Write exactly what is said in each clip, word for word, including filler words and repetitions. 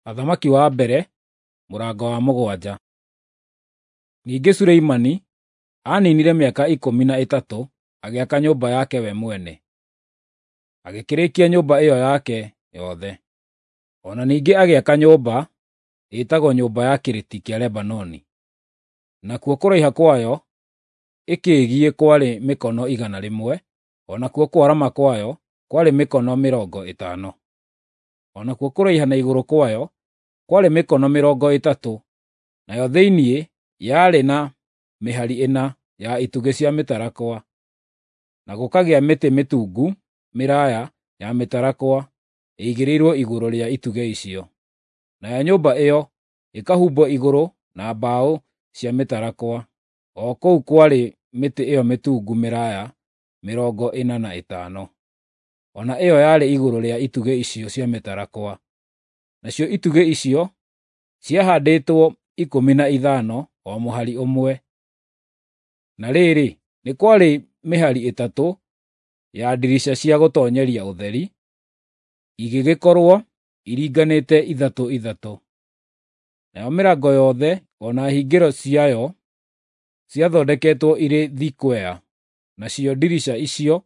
Athamaki wa mbere mũrango wa mũgwanja. Ningĩ Suleimani aaninire mĩaka ikũmi na ĩtatũ agĩaka nyũmba yake we mwene, agĩkĩrĩkia nyũmba ĩyo yake yothe. O na ningĩ agĩaka nyũmba ĩtagwo Nyũmba ya Kĩrĩti kĩa Lebanoni, nakuo kũraiha kwayo ĩkĩĩgiĩ kwarĩ mĩkono igana rĩmwe, o nakuo kwarama kwayo kwarĩ mĩkono mĩrongo ĩtano, o nakuo kũraiha na igũrũ kwayo kwarĩ mĩkono mĩrongo ĩtatũ, nayo thĩinĩ yarĩ na mĩhari ĩna ya itugĩ cia mĩtarakwa, na gũkagĩa mĩtĩ mĩtungu mĩraaya ya mĩtarakwa ĩigĩrĩirwo igũrũ rĩa itugĩ icio. Nayo nyũmba ĩyo ĩkahumbwo igũrũ na mbaũ cia mĩtarakwa, o kũu kwarĩ mĩtĩ ĩyo mĩtungu mĩraaya mĩrongo ĩna na ĩtano. O na ĩyo yarĩ igũrũ rĩa itugĩ icio cia mĩtarakwa. Nacio itugĩ icio ciahaandĩtwo ikũmi na ithano o mũhari ũmwe. Na rĩrĩ, nĩ kwarĩ mĩhari ĩtatũ ya ndirica cia gũtoonyeria ũtheri, igĩgĩkorwo iringanĩte ithatũ ithatũ. Nayo mĩrango yothe o na hingĩro ciayo ciathondeketwo irĩ thikwea, nacio ndirica icio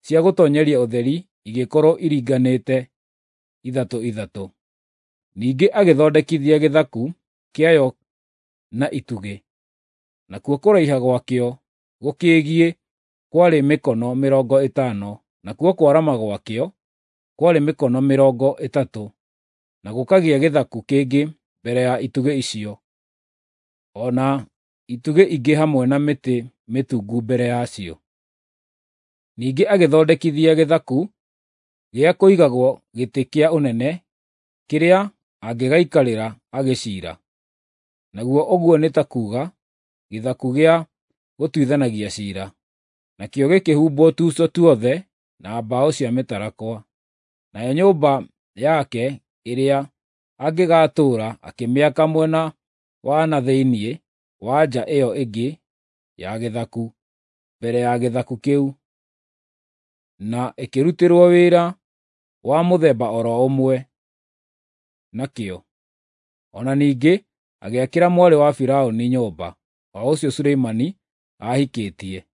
cia gũtoonyeria ũtheri igĩkorwo iringanĩte ithatũ ithatũ. Ningĩ agĩthondekithia gĩthaku kĩayo na itugĩ, nakuo kũraiha gwakĩo gũkĩĩgiĩ kwarĩ mĩkono mĩrongo ĩtano, nakuo kwarama gwakĩo kwarĩ mĩkono mĩrongo ĩtatũ, na gũkagĩa gĩthaku kĩngĩ mbere ya itugĩ icio, o na itugĩ ingĩ hamwe na mĩtĩ mĩtungu mbere yacio. Ningĩ agĩthondekithia gĩthaku gĩa kũigagwo gĩtĩ kĩa ũnene kĩrĩa angĩgaikarĩra agĩciira, naguo ũguo nĩ ta kuuga gĩthaku gĩa gũtuithanagia ciira. Nakĩo gĩkĩhumbwo tuco tuothe na mbaũ cia mĩtarakwa. Nayo nyũmba yake ĩrĩa angĩgaatũũra akĩmĩaka mwena wa na thĩinĩ wa nja ĩyo ĩngĩ ya gĩthaku, mbere ya gĩthaku kĩu, na ĩkĩrutĩrwo wĩra wa mũthemba o ro ũmwe nakĩo. O na ningĩ agĩakĩra mwarĩ wa Firaũni nyũmba, o ũcio Suleimani aahikĩtie.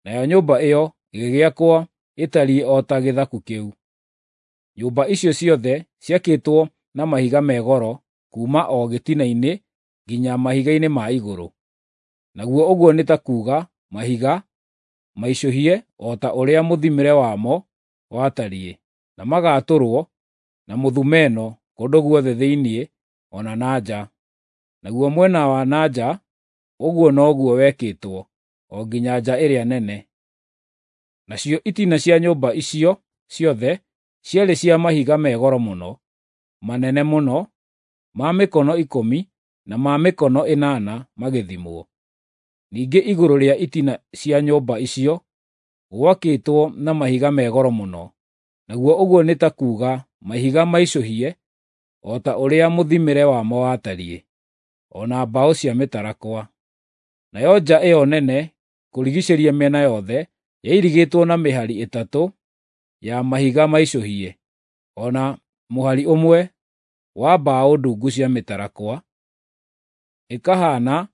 Nayo nyũmba ĩyo ĩgĩgĩakwo ĩtariĩ o ta gĩthaku kĩu. Nyũmba icio ciothe ciakĩtwo na mahiga me goro kuuma o gĩtina-inĩ nginya mahiga-inĩ ma igũrũ, naguo ũguo nĩ ta kuuga mahiga maicũhie o ta ũrĩa mũthimĩre wamo watariĩ, na magaatũrwo na mũthumeno kũndũ guothe thĩinĩ o na na nja. Naguo mwena wa na nja ũguo noguo wekĩtwo o nginya nja ĩrĩa nene. Nacio itina cia nyũmba icio ciothe ciarĩ cia mahiga me goro mũno, manene mũno, ma mĩkono ikũmi na ma mĩkono ĩnana magĩthimwo. Ningĩ igũrũ rĩa itina cia nyũmba icio gwakĩtwo na mahiga me goro mũno, naguo ũguo nĩ ta kuuga mahiga maicũhie o ta ũrĩa mũthimĩre wamo watariĩ, o na mbaũ cia mĩtarakwa. Nayo nja ĩyo nene kũrigiicĩria mĩena yothe yairigĩtwo na mĩhari ĩtatũ ya mahiga maicũhie, o na mũhari ũmwe wa mbaũ ndungu cia mĩtarakwa, ĩkahaana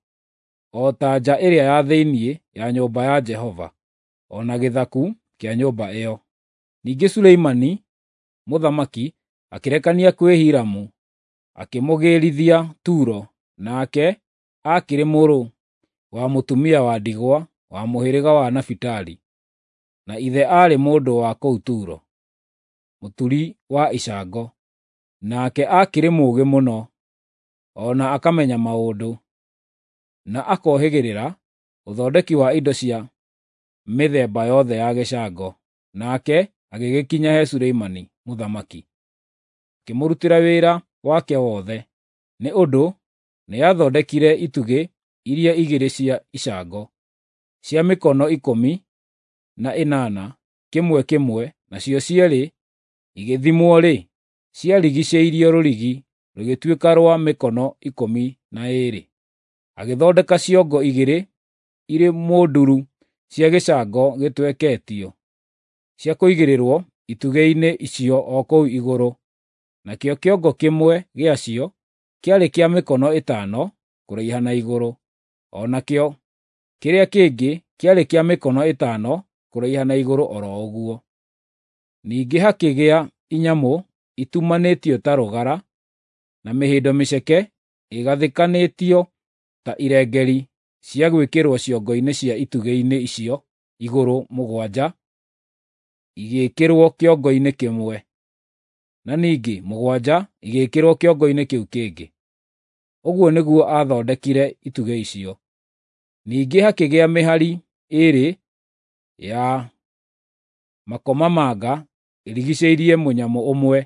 o ta nja ĩrĩa ya thĩinĩ ya nyũmba ya Jehova, o na gĩthaku kĩa nyũmba ĩyo. Ningĩ Suleimani mũthamaki akĩrekania kwĩ Hiramu, akĩmũgĩrithia Turo, nake aakĩrĩ mũrũ wa mũtumia wa ndigwa wa mũhĩrĩga wa Nafitali, na ithe aarĩ mũndũ wa kũu Turo, mũturi wa icango. Nake aakĩrĩ mũũgĩ mũno, o na akamenya maũndũ, na akohĩgĩrĩra ũthondeki wa indo cia mĩthemba yothe ya gĩcango. Nake agĩgĩkinya he Suleimani mũthamaki, akĩmũrutĩra wĩra wake wothe, nĩ ũndũ nĩathondekire itugĩ iria igĩrĩ cia icango, cia mĩkono ikũmi na ĩnana kĩmwe kĩmwe, nacio cierĩ igĩthimwo-rĩ, ciarigiicĩirio rũrigi rũgĩtuĩka rwa mĩkono ikũmi na ĩĩrĩ. Agĩthondeka ciongo igĩrĩ irĩ mũnduru cia gĩcango gĩtweketio, cia kũigĩrĩrwo itugĩ-inĩ icio o kũu igũrũ. Nakĩo kĩongo kĩmwe gĩacio kĩarĩ kĩa mĩkono ĩtano kũraiha na igũrũ, o nakĩo kĩrĩa kĩngĩ kĩarĩ kĩa mĩkono ĩtano kũraiha na igũrũ o ro ũguo. Ningĩ hakĩgĩa inyamũ itumanĩtio ta rũgara, na mĩhĩndo mĩceke ĩgathĩkanĩtio ta irengeeri cia gwĩkĩrwo ciongo-inĩ cia itugĩ-inĩ icio igũrũ mũgwanja igĩĩkĩrwo kĩongo-inĩ kĩmwe, na ningĩ mũgwanja igĩĩkĩrwo kĩongo-inĩ kĩu kĩngĩ. Ũguo nĩguo aathondekire itugĩ icio. Ningĩ hakĩgĩa mĩhari ĩĩrĩ ya makomamanga ĩrigiicĩirie mũnyamũ ũmwe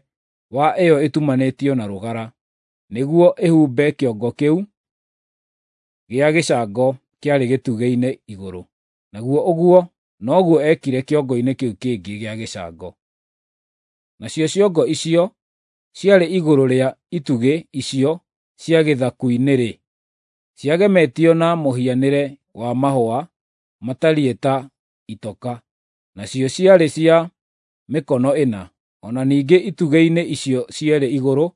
wa ĩyo ĩtumanĩtio na rũgara, nĩguo ĩhumbe kĩongo kĩu gĩa gĩcango kĩarĩ gĩtugĩ-inĩ igũrũ. Naguo ũguo noguo eekire kĩongo-inĩ kĩu kĩngĩ gĩa gĩcango. Nacio ciongo icio ciarĩ igũrũ rĩa itugĩ icio cia gĩthaku-inĩ-rĩ, ciagemetio na mũhianĩre wa mahũa matariĩ ta itoka, nacio ciarĩ cia mĩkono ĩna. O na ningĩ itugĩ-inĩ icio cierĩ igũrũ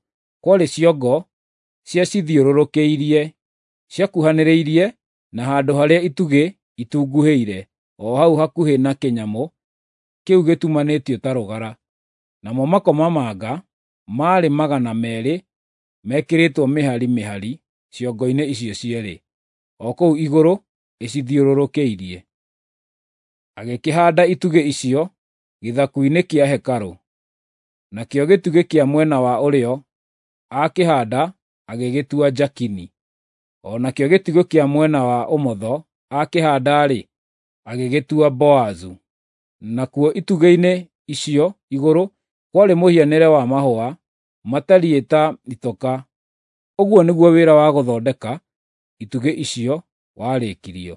kwarĩ ciongo ciacithiũrũrũkĩirie, ciakuhanĩrĩirie na handũ harĩa itugĩ itunguhĩire, o hau hakuhĩ na kĩnyamũ kĩu gĩtumanĩtio ta rũgara. Namo makomamanga maarĩ magana meerĩ mekĩrĩtwo mĩhari mĩhari ciongo-inĩ icio cierĩ, o kũu igũrũ ĩcithiũrũrũkĩirie. Agĩkĩhaanda itugĩ icio gĩthaku-inĩ kĩa hekarũ. Nakĩo gĩtugĩ kĩa mwena wa ũrĩo aakĩhaanda agĩgĩtua Jakini, o nakĩo gĩtugĩ kĩa mwena wa ũmotho aakĩhaanda-rĩ, agĩgĩtua Boazu. Nakuo itugĩ-inĩ icio igũrũ kwarĩ mũhianĩre wa mahũa matariĩ ta itoka. Ũguo nĩguo wĩra wa gũthondeka itugĩ icio warĩkirio.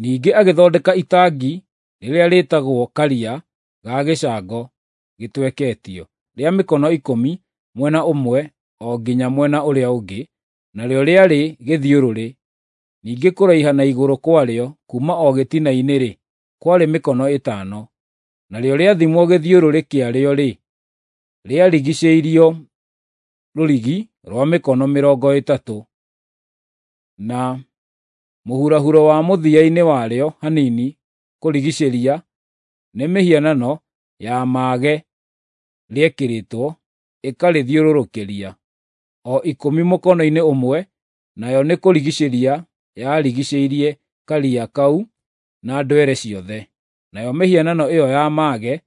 Ningĩ agĩthondeka itangi rĩrĩa rĩĩtagwo Karia ga gĩcango gĩtweketio, rĩa mĩkono ikũmi mwena ũmwe o nginya mwena ũrĩa ũngĩ, narĩo rĩarĩ gĩthiũrũrĩ. Ningĩ kũraiha na igũrũ kwarĩo kuuma o gĩtina-inĩ-rĩ, kwarĩ mĩkono ĩtano. Narĩo rĩathimwo gĩthiũrũrĩ kĩarĩo-rĩ, rĩarigiicĩirio rũrigi rwa mĩkono mĩrongo ĩtatũ, na mũhurahuro wa mũthia-inĩ warĩo hanini kũrigiicĩria nĩ mĩhianano ya maage rĩekĩrĩtwo ĩkarĩthiũrũrũkĩria, o ikũmi mũkono-inĩ ũmwe, nayo nĩ kũrigiicĩria yarigiicĩirie Karia kau na ndwere ciothe. Nayo mĩhianano ĩyo ya maage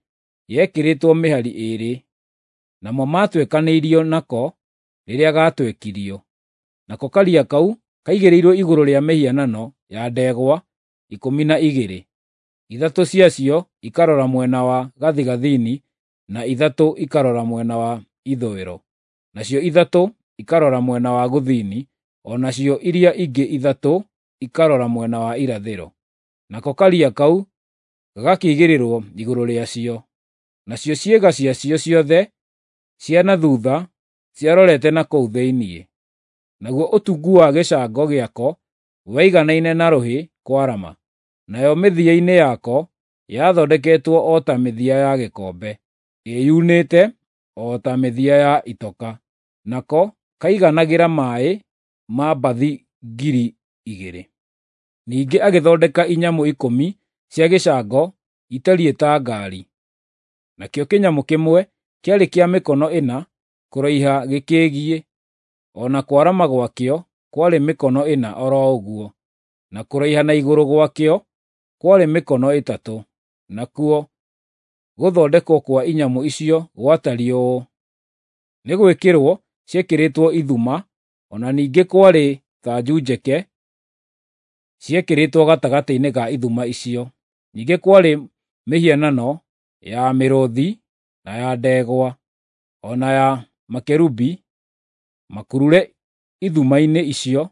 yekĩrĩtwo mĩhari ĩĩrĩ, namo maatwekanĩirio nako rĩrĩa gaatwekirio. Nako Karia kau kaigĩrĩirwo igũrũ rĩa mĩhianano ya ndegwa ikũmi na igĩrĩ, ithatũ ciacio ikarora mwena wa gathigathini na ithatũ ikarora mwena wa ithũĩro, nacio ithatũ ikarora mwena wa gũthini, o nacio iria ingĩ ithatũ ikarora mwena wa irathĩro. Nako Karia kau gagakĩigĩrĩrwo igũrũ rĩacio. Nacio ciĩga ciacio ciothe cia na thuutha ciarorete na kũu thĩinĩ. Naguo ũtungu wa gĩcango gĩako waiganaine na rũhĩ kwarama, nayo mĩthia-inĩ yako yathondeketwo o ta mĩthia ya gĩkombe, ĩyunĩte o ta mĩthia ya itoka. Nako kaiganagĩra maaĩ ma mbathi ngiri igĩrĩ. Ningĩ agĩthondeka inyamũ ikũmi cia gĩcango itariĩ ta ngaari. Nakĩo kĩnyamũ kĩmwe kĩarĩ kĩa mĩkono ĩna kũraiha gĩkĩgiĩ, o na kwarama gwakĩo kwarĩ mĩkono ĩna o ro ũguo, na kũraiha na igũrũ gwakĩo kwarĩ mĩkono ĩtatũ. Nakuo gũthondekwo kwa inyamũ icio gwatariĩ ũũ: nĩ gwĩkĩrwo ciekĩrĩtwo ithuma, o na ningĩ kwarĩ thanju njeke ciekĩrĩtwo gatagatĩ-inĩ ga ithuma icio. Ningĩ kwarĩ mĩhianano ya mĩrũũthi na ya ndegwa, o na ya makerubi makurure ithuma-inĩ icio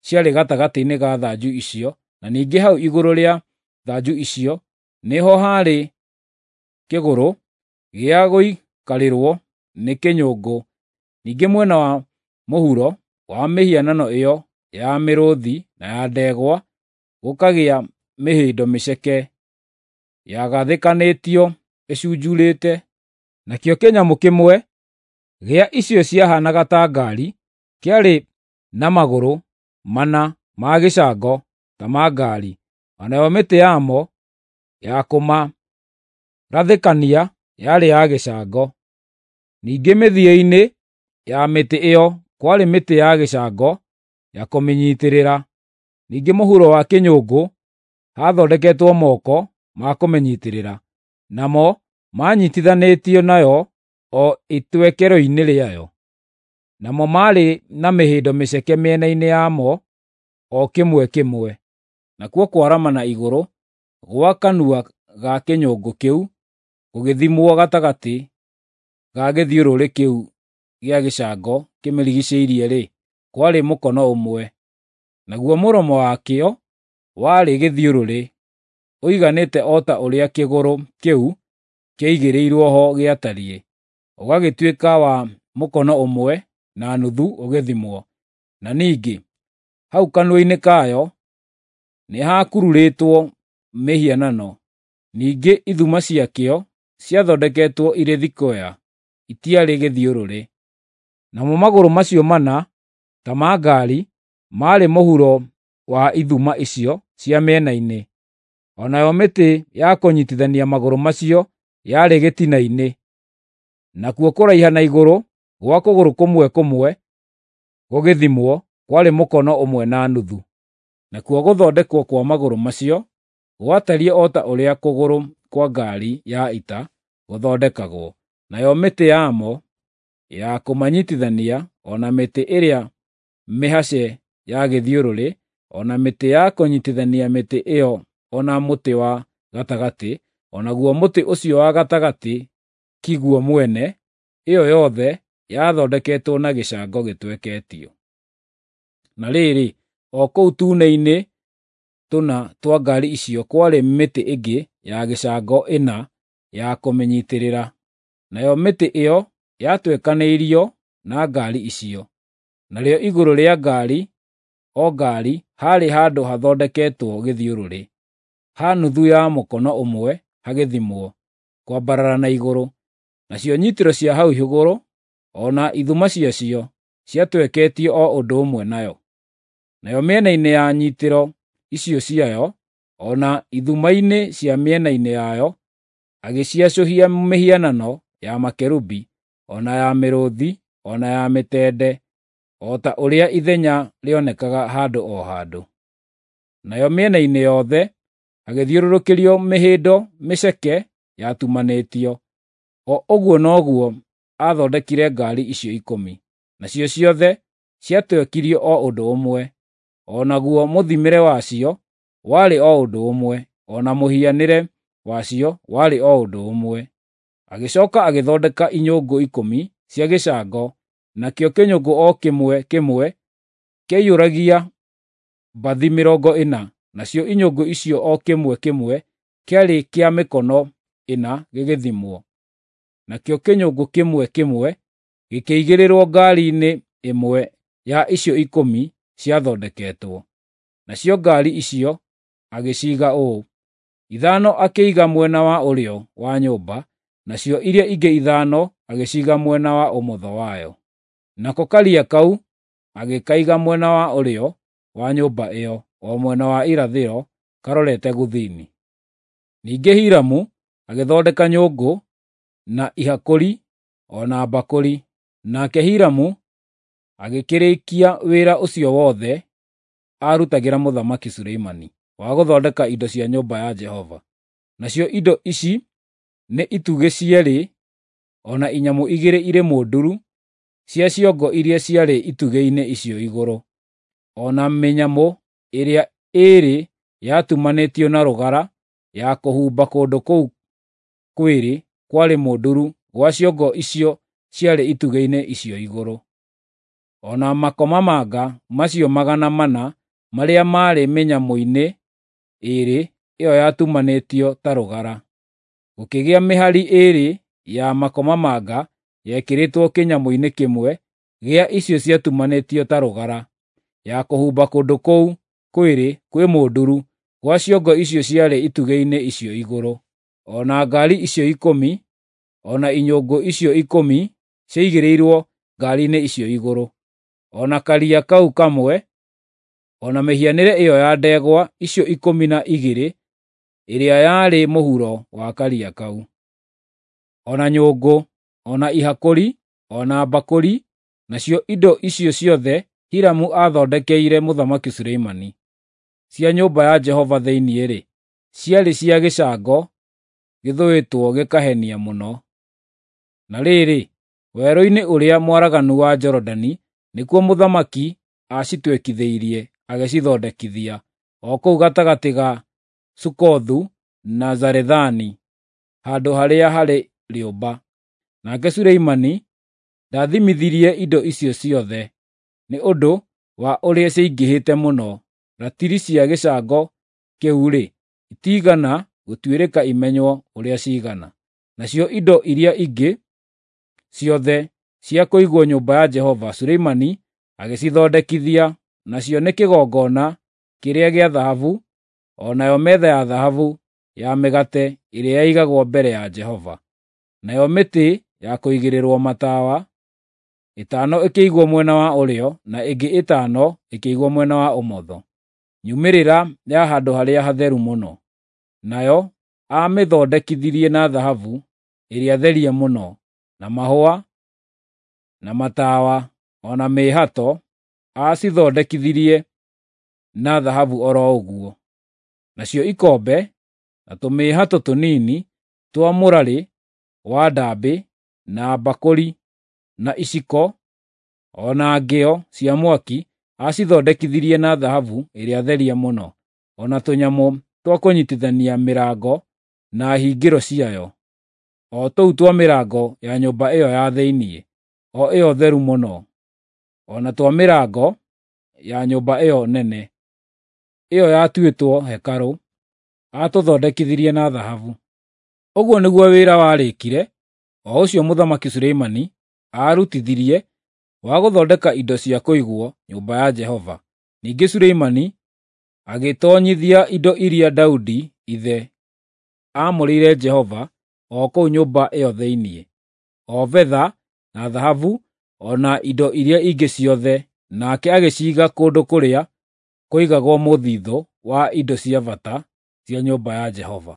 ciarĩ gatagatĩ-inĩ ga thanju icio, na ningĩ hau igũrũ rĩa thanju icio nĩho haarĩ kĩgũrũ gĩa gũikarĩrwo nĩ kĩnyũngũ. Ningĩ mwena wa mũhuro wa mĩhianano ĩyo ya mĩrũũthi na ya ndegwa gũkagĩa mĩhĩndo mĩceke yagathĩkanĩtio ĩcunjuurĩte. Nakĩo kĩnyamũ kĩmwe gĩa icio ciahaanaga ta ngaari kĩarĩ na magũrũ mana ma gĩcango ta ma ngaari, o nayo mĩtĩ yamo ya kũmarathĩkania yarĩ ya gĩcango. Ningĩ mĩthia-inĩ ya mĩtĩ ĩyo kwarĩ mĩtĩ ya gĩcango ya kũmĩnyiitĩrĩra. Ningĩ mũhuro wa kĩnyũngũ haathondeketwo moko ma kũmĩnyiitĩrĩra, namo maanyiitithanĩtio nayo o itwekero-inĩ rĩayo. Namo maarĩ na mĩhĩndo mĩceke mĩena-inĩ yamo o kĩmwe kĩmwe. Nakuo kwarama na igũrũ gwa kanua ga kĩnyũngũ kĩu gũgĩthimwo gatagatĩ ga gĩthiũrũrĩ kĩu gĩa gĩcango kĩmĩrigiicĩirie-rĩ, kwarĩ mũkono ũmwe. Naguo mũromo wakĩo warĩ gĩthiũrũrĩ, ũiganĩte o ta ũrĩa kĩgũrũ kĩu kĩaigĩrĩirwo ho gĩatariĩ, ũgagĩtuĩka wa mũkono ũmwe na nuthu ũgĩthimwo. Na ningĩ hau kanua-inĩ kayo nĩhakururĩtwo mĩhianano. Ningĩ ithuma ciakĩo ciathondeketwo irĩ thikwea, itiarĩ gĩthiũrũrĩ. Namo magũrũ macio mana ta ma ngaari maarĩ mũhuro wa ithuma icio cia mĩena-inĩ, o nayo mĩtĩ ya kũnyiitithania magũrũ macio yarĩ gĩtina-inĩ. Nakuo kũraiha na igũrũ gwa kũgũrũ kũmwe kũmwe gũgĩthimwo kwarĩ mũkono ũmwe na nuthu. Nakuo gũthondekwo kwa magũrũ macio gwatariĩ o ta ũrĩa kũgũrũ kwa ngaari ya ita gũthondekagwo, nayo mĩtĩ yamo ya kũmanyiitithania, o na mĩtĩ ĩrĩa mĩhace ya gĩthiũrũrĩ, o na mĩtĩ ya kũnyiitithania mĩtĩ ĩyo o na mũtĩ wa gatagatĩ, o naguo mũtĩ ũcio wa gatagatĩ kiguo mwene, ĩyo yothe yathondeketwo na gĩcango gĩtweketio. Na rĩrĩ, o kũu tuune-inĩ tũna twa ngaari icio kwarĩ mĩtĩ ĩngĩ ya gĩcango ĩna ya kũmĩnyiitĩrĩra, nayo mĩtĩ ĩyo yatwekanĩirio na ngaari icio. Narĩo igũrũ rĩa ngaari o ngaari haarĩ handũ hathondeketwo gĩthiũrũrĩ, ha nuthu ya mũkono ũmwe hagĩthimwo, kwambarara na igũrũ. Nacio nyiitĩro cia hau igũrũ o na ithuma ciacio ciatweketio o ũndũ ũmwe nayo. Nayo mĩena-inĩ ya nyiitĩro icio ciayo, o na ithuma-inĩ cia mĩena-inĩ yayo, agĩciacũhia mĩhianano ya makerubi, o na ya mĩrũũthi, o na ya mĩtende, o ta ũrĩa ithenya rĩonekaga handũ o handũ. Nayo mĩena-inĩ yothe hagĩthiũrũrũkĩrio mĩhĩndo mĩceke yatumanĩtio. O ũguo noguo aathondekire ngaari icio ikũmi, nacio ciothe ciatwekirio o ũndũ ũmwe, o naguo mũthimĩre wacio warĩ o ũndũ ũmwe, o na mũhianĩre wacio warĩ o ũndũ ũmwe. Agĩcooka agĩthondeka inyũngũ ikũmi cia gĩcango, nakĩo kĩnyũngũ o kĩmwe kĩmwe kĩaiyũragia mbathi mĩrongo ĩna, nacio inyũngũ icio o kĩmwe kĩmwe kĩarĩ kĩa mĩkono ĩna gĩgĩthimwo. Nakĩo kĩnyũngũ kĩmwe kĩmwe gĩkĩigĩrĩrwo ngaari-inĩ ĩmwe ya icio ikũmi ciathondeketwo. Nacio ngaari icio agĩciiga ũũ: ithano akĩiga mwena wa ũrĩo wa nyũmba, nacio iria ingĩ ithano agĩciiga mwena wa ũmotho wayo. Nako Karia kau agĩkaiga mwena wa ũrĩo wa nyũmba ĩyo, o mwena wa irathĩro, karorete gũthini. Ningĩ Hiramu agĩthondeka nyũngũ, na ihakũri, o na mbakũri. Nake Hiramu agĩkĩrĩkia wĩra ũcio wothe aarutagĩra Mũthamaki Suleimani wa gũthondeka indo cia nyũmba ya Jehova. Nacio indo ici nĩ itugĩ cierĩ o na inyamũ igĩrĩ irĩ mũnduru cia ciongo iria ciarĩ itugĩ-inĩ icio igũrũ, o na mĩnyamũ ĩrĩa ĩĩrĩ yatumanĩtio na rũgara ya kũhumba kũndũ kũu kwĩrĩ kwarĩ mũnduru gwa ciongo icio ciarĩ itugĩ-inĩ icio igũrũ. O na makomamanga macio magana mana marĩa maarĩ mĩnyamũ-inĩ ĩĩrĩ ĩyo yatumanĩtio ta rũgara. Gũkĩgĩa mĩhari ĩĩrĩ ya makomamanga yekĩrĩtwo kĩnyamũ-inĩ kĩmwe gĩa icio ciatumanĩtio ta rũgara, ya kũhumba kũndũ kũu kwĩrĩ kwĩ mũnduru gwa ciongo icio ciarĩ itugĩ-inĩ icio igũrũ. O na ngaari icio ikũmi, o na inyũngũ icio ikũmi ciaigĩrĩirwo ngaari-inĩ icio igũrũ, o na Karia kau kamwe, o na mĩhianĩre ĩyo ya ndegwa icio ikũmi na igĩrĩ ĩrĩa yarĩ mũhuro wa Karia kau, o na nyũngũ, o na ihakũri, o na mbakũri, nacio indo icio ciothe Hiramu aathondekeire Mũthamaki Suleimani. Cia nyũmba ya Jehova thĩinĩ-rĩ, ciarĩ cia gĩcango gĩthũĩtwo gĩkahenia mũno. Na rĩrĩ, werũ-inĩ ũrĩa mwaraganu wa Jorodani nĩkuo mũthamaki aacitwekithĩirie agĩcithondekithia, o kũu gatagatĩ ga Sukothu na Zarethani, handũ harĩa harĩ rĩũmba. Nake Suleimani ndaathimithirie indo icio ciothe, nĩ ũndũ wa ũrĩa ciaingĩhĩte mũno. Ratiri cia gĩcango kĩu-rĩ, itiigana gũtuĩrĩka imenywo ũrĩa ciigana. Nacio indo iria ingĩ ciothe cia kũigwo nyũmba ya Jehova Suleimani agĩcithondekithia, nacio nĩ kĩgongona kĩrĩa gĩa thahabu, o nayo metha ya thahabu ya mĩgate ĩrĩa yaigagwo mbere ya Jehova, nayo mĩtĩ ya kũigĩrĩrwo matawa, ĩtano ĩkĩigwo mwena wa ũrĩo na ĩngĩ ĩtano ĩkĩigwo mwena wa ũmotho, nyumĩrĩra ya handũ harĩa hatheru mũno. Nayo aamĩthondekithirie na thahabu ĩrĩa therie mũno, na mahũa, na matawa, o na mĩĩhato aacithondekithirie na thahabu o ro ũguo. Nacio ikombe, na tũmĩĩhato tũnini twa mũrarĩ wa ndaambĩ, na mbakũri, na iciko, o na ngĩo cia mwaki aacithondekithirie na thahabu ĩrĩa therie mũno, o na tũnyamũ twa kũnyiitithania mĩrango na hingĩro ciayo, o tũu twa mĩrango ya nyũmba ĩyo ya thĩinĩ, o ĩyo theru mũno, o na twa mĩrango ya nyũmba ĩyo nene, ĩyo yatuĩtwo hekarũ, aatũthondekithirie na thahabu. Ũguo nĩguo wĩra warĩkire, o ũcio Mũthamaki Suleimani aarutithirie wa gũthondeka indo cia kũigwo nyũmba ya Jehova. Ningĩ Suleimani agĩtoonyithia indo iria Daudi ithe aamũrĩire Jehova o kũu nyũmba ĩyo thĩinĩ, o betha na thahabu o na indo iria ingĩ ciothe, nake agĩciiga kũndũ kũrĩa kũigagwo mũthithũ wa indo cia bata cia nyũmba ya Jehova.